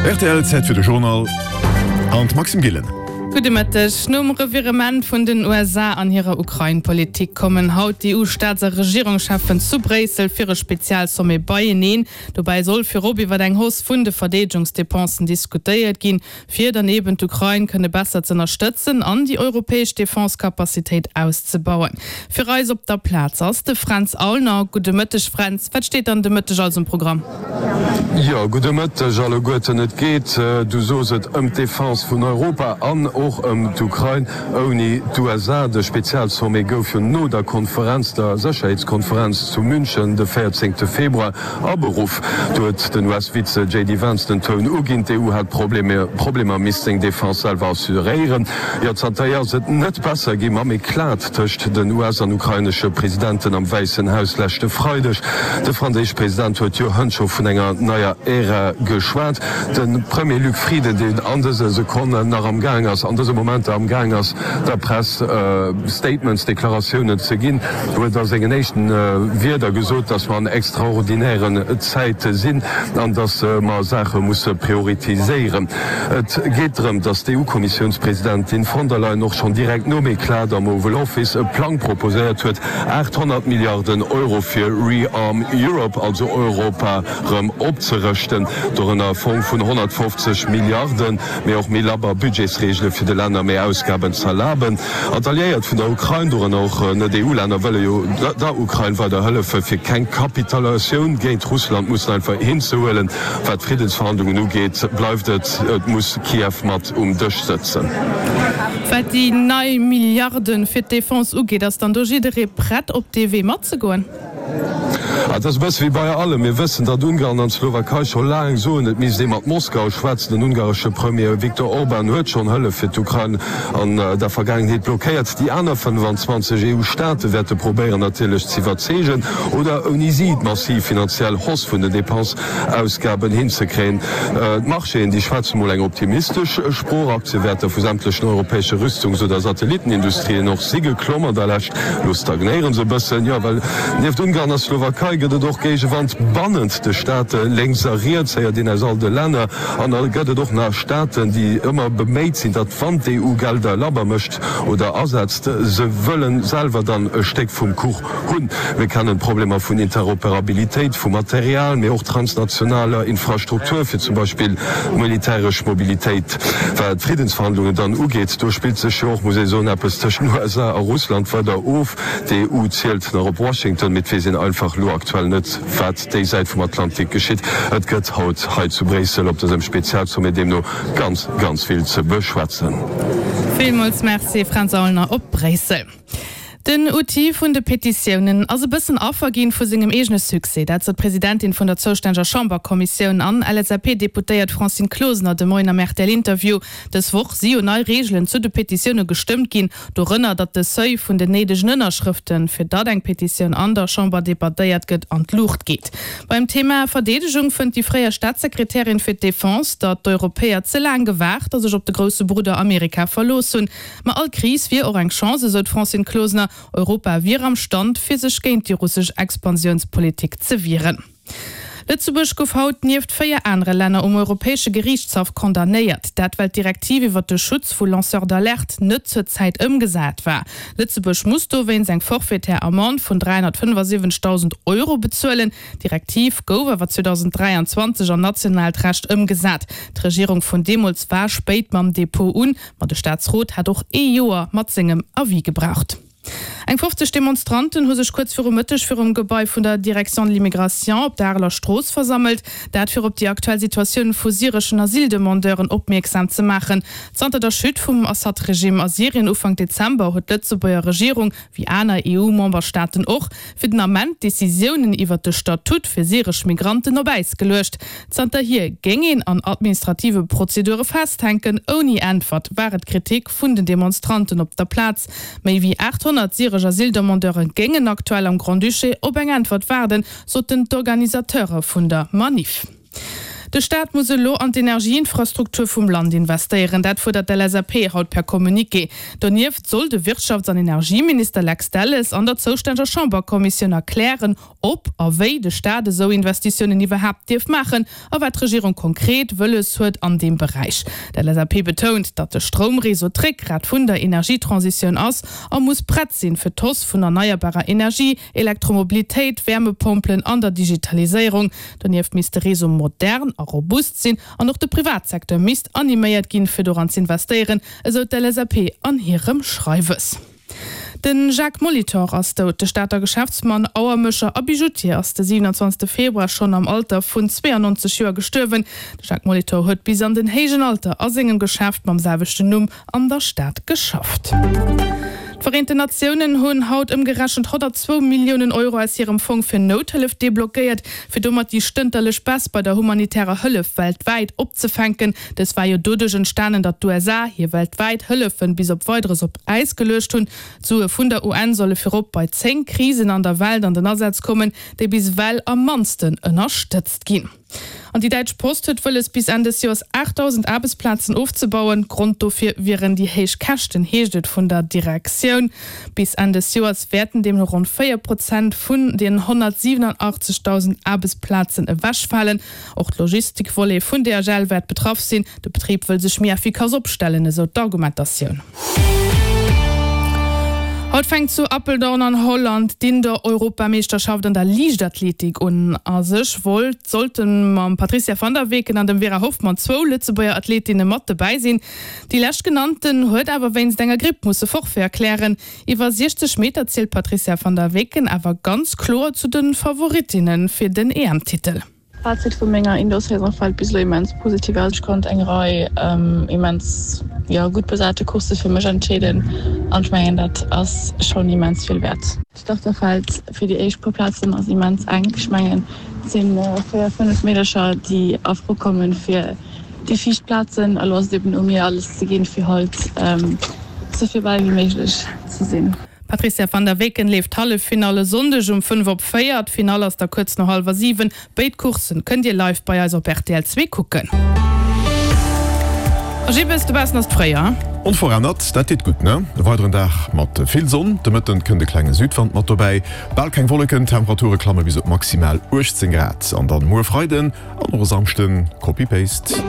Rtl, Zäit fir de Journal an d'Maxime Gillen. Gudde Mëtteg. Nom Revirement vun den USA an hirer Ukrain-Politik kommen haut d'EU-Staats a Regierungscheffen zu Bréissel fir e Spezialsommet beieneen. Dobäi soll virop iwwer eng Hausse vun de Verdeedegungsdepensen diskutéiert ginn, fir dann eben d'Ukrain kënne besser z'ënnerstëtzen an déi europäesch Defense-Capacitéit auszebauen. Fir eis op der Plaz ass de Fränz Aulner. Gudde Mëtteg Fränz, wat steet dann de Mëtteg alles um Programm? Jo, gudde Mëtteg alleguerten. Et geet, du sos et, ëm d'Defense vun Europa an och ëm d'Ukrain ouni d'USA. De Spezialsommet gouf jo no der Konferenz, der Sécherheetskonferenz zu München de 14 Februar, Aberuff. Do huet den US-Vize JD Vance den Toun uginn, d'EU hätt Problemer, misst seng Defense selwer assuréieren. Jo, zanterhier ass et net besser gi mam Eclat tëscht den US an ukrainesche Presidenten am Wäissen Haus leschte Freideg. De franséische President huet jo hënt scho vun enger neier Ära geschwat. De Premier Luc Frieden, deen an dëse Sekonnen nach am Gaang ass, an dëse Momenter am Gaang ass, der Press Statements, Deklaratiounen ze ginn, huet a sengen éischten Wierder gesot, datt mer an extraordinären Zäite sinn an datt mer Saache musse prioritiséieren. Et geet drëm, datt d'EU-Kommissiounspresidentin von der Leyen och schonn direkt nom Eclat am Oval Office e Plang proposéiert huet, 800 Milliarden Euro fir Rearm Europe, also Europa rëm opzerëschten, dorënner e Fong vun 150 Milliarden, mee och méi labber Budgetsreegele fir de Länner méi Ausgaben z'erlaben. An d'Alliéiert vun der Ukrain, dorënner och Net-EU-Länner, wëlle jo der Ukrain weider hëllefe fir keng Kapitulatioun géint Russland mussen einfach hinzehuelen. Wat d'Friddensverhandlungen ugeet, bleift et, et muss Kiew mat um Dësch sëtzen. Wat déi nei Milliarde fir d'Defense ugeet, ass dann do jidderee prett op dee Wee matzegoen? Et ass e bësse wéi bei allem. Mir wëssen, datt Ungarn an d'Slowakei scho laang soen, et misst ee mat Moskau schwätzen. Den ungaresche Premier Viktor Orban huet schonn Hëllef fir d'Ukrain an der Vergaangenheet blockéiert. Déi aner 25 EU-Staate wäerte probéieren natierlech z'iwwerzeegen oder ouni si d'massiv finanziell Hausse vun den Depenseausgaben hinzekréien. D'Marchéen, déi schwätze mol eng optimistesch Sprooch. Aktiewäerter vu sämtlechen europäesche Rüstungs oder Satellittenindustrien och si geklomm an der Lescht. Elo stagnéiere se e bëssen, jo, well nieft Ungarn a Slowakei gëtt et och Géigewand bannent de Staate lénks a riets, héiert een aus all de Länner. An da gëtt et och nach Staaten, déi ëmmer beméit sinn, datt wann d'EU Gelder labber mécht oder asetzt, se wëllen selwer dann e Stéck vum Kuch hunn. Mir kennen d'Problemer vun Interoperabilitéit vu Material, mee och transnationaler Infrastruktur, fir zum Beispill d'militäresch Mobilitéit. Wat d'Friddensverhandlungen dann ugeet, do spillt sech jo och, muss ee soen, eppes tëscht den USA a Russland weider of. D'EU zielt nach op Washington, mee et weess een einfach elo aktuell net, wat déi Säit vum Atlantik geschitt. Et gëtt haut hei zu Bréissel op dësem Spezialsommet deemno ganz, ganz vill ze beschwätzen. Villmools Merci Fränz Aulner op Bréissel. Den Outil vun de Petitiounen ass e bëssen Affer ginn vu sengem eegene Succès. Dat sot d'Presidentin vun der zoustänneger Chamberkommissioun an LSAP-Deputéiert Francine Closener de Moien am RTL-Interview. Dës Woch si jo nei Reegelen zu de Petitioune gestëmmt ginn, dorënner datt de Seuil vun den néidegen Ënnerschrëften, fir datt eng Petitioun an der Chamber debattéiert gëtt, an d'Luucht geet. Beim Thema Verdeedegung fënnt déi fréier Staatssekretärin fir d'Defense, datt d'Europäer ze laang gewaart a sech op de grousse Brudder Amerika verlooss hunn. Ma all Kris wier och eng Chance, esou d'Francine Closener. Europa wier am Stand, fir sech géint déi russesch Expansiounspolitik ze wieren. Lëtzebuerg gouf haut nieft 4 anere Länner um Europäesche Geriichtshaff condamnéiert. Dat well d'Direktiv iwwer de Schutz vu Lanceurs d'alerte net zur Zäit ëmgesat war. Lëtzebuerg muss dowéinst eng forfaitaire Amende vun 375.000 Euro bezuelen. D'Direktiv gouf awer 2023 an nationaalt Recht ëmgesat. D'Regierung vun deemools war spéit mam Depot un. Ma de Staatsrot hat och ee Joer mat sengem Avis gebraucht. Eng 50 Demonstranten hu sech kuerz viru Mëtteg virum Gebai vun der Direction de l'immigration op der Areler Strooss versammelt. Dat fir op déi aktuell Situatioun vu syreschen Asyldemandeuren opmierksam ze maachen. Zanter der Chute vum Assad-Regime a Syrien Ufank Dezember huet d'Lëtzebuerger Regierung, wéi aner EU-Memberstaaten och, fir den Ament d'Decisiounen iwwert de Statut fir syresch Migranten op Äis geluecht. Zanterhier géing een an administrative Prozedure festhänken, ouni Äntwert, war et d'Kritik vun den Demonstranten op der Plaz. Méi wéi 800 syresch Asyldemandeure géingen aktuell am Grand-Duché op eng Äntwert waarden, soten d'Organisateure vun der Manif. De Staat muss elo an d'Energieinfrastruktur vum Land investéieren. Dat fuerdert d'LSAP haut per Communiqué. Donieft soll de Wirtschafts an Energieminister Lex Delles an der zoustänneger Chamberkommissioun erklären, ob a wéi de Staat esou Investitiounen iwwerhaapt dierf maachen a wat d'Regierung konkret wëlles huet an deem Beräich. D'LSAP betount, datt de Stroumreseau d'Réckgrat vun der Energietransitioun ass a muss prett sinn, fir d'Hausse vun erneierbarer Energie, Elektromobilitéit, Wäermepompelen an der Digitaliséierung. Donieft misst de Réseau modern a robust sinn an och de Privatsecteur misst animéiert ginn, fir doran z'investéieren, esou d'LSAP an hirem Schreiwes. De Jacques Molitor ass dout. De Stater Geschäftsmann, Auermécher a Bijoutier ass de 27 Februar schonn am Alter vun 92 Joer gestuerwen. De Jacques Molitor huet bis an den héijen Alter a sengem Geschäft mam selwechten Numm an der Stad geschafft. D'Vereenten Natiounen hunn haut ëmgerechent 102 Milliounen Euro aus hirem Fong fir Nouthëllef deblockéiert, fir domat déi stënterlech Baisse bei der humanitärer Hëllef weltwäit opzefänken. Dës war jo doduerch entstanen, datt d'USA hir weltwäit Hëllefen bis op Weideres op Äis geluecht hunn. D'Sue vun der UN solle virop bei 10 Krisen an der Welt an den Asaz kommen, déi bis ewell am mannsten ënnerstëtzt ginn. An déi Däitsch Post huet wëlles, bis Enn des Joers 8.000 Aarbechtsplazen ofzebauen. Grond dofir wieren déi héich Käschten, heescht et vun der Direktioun. Bis Enn des Joers wäerten deemno ronn 4 Prozent vun den 187.000 Aarbechtsplazen ewechfalen. Och d'Logistikvolet vun DHL wäert betraff sinn. De Betrib wëll sech méi effikass opstellen, esou d'Argumentatioun. Haut fänkt zu Apeldoorn an Holland d'Indoor-Europameeschterschaft an der Liichtathletik un. A sech wollt sollte mam Patricia van der Weken an dem Vera Hoffmann zwou Lëtzebuerger Athletinne mat dobäi sinn. Déi leschtgenannten huet awer wéinst enger Gripp musse Forfait erklären. Iwwer 60 Meter zielt d'Patricia van der Weken awer ganz kloer zu de Favorittinne fir den EM-Titel. Fazit vu menger Indoor Saison fällt bis elo immens positiv aus. Ech konnt eng Rei immens jo gutt besate Coursse fir mech entscheeden an ech mengen dat ass schonn immens vill wäert. D'Starterfeld fir déi éischt puer Plazen ass immens enk. Ech mengen et si 4, 5 Meedercher déi a Fro kommen fir déi viischt Plazen. Elo ass et eben u mir alles ze ginn fir halt sou virbäi wéi méiglech ze sinn. D'Patricia van der Weken leeft d'Halleffinall e Sonndeg um 5 op 4. D'Finall ass da kuerz no hallwer 7. Béid Courssen kënnt Dir live bei eis op rtl 2 kucken. A Jibbes, dobaussen ass et fréier. Onverännert, dat deet gutt, ne? E weideren Dag mat vill Sonn, de Mëtten kënnt e klenge Südwand mat dobäi, bal keng Wolleken, d'Temperature klamme bis op maximal 18 Grad. An dann muer Freiden an och e Samschden Copy-Paste.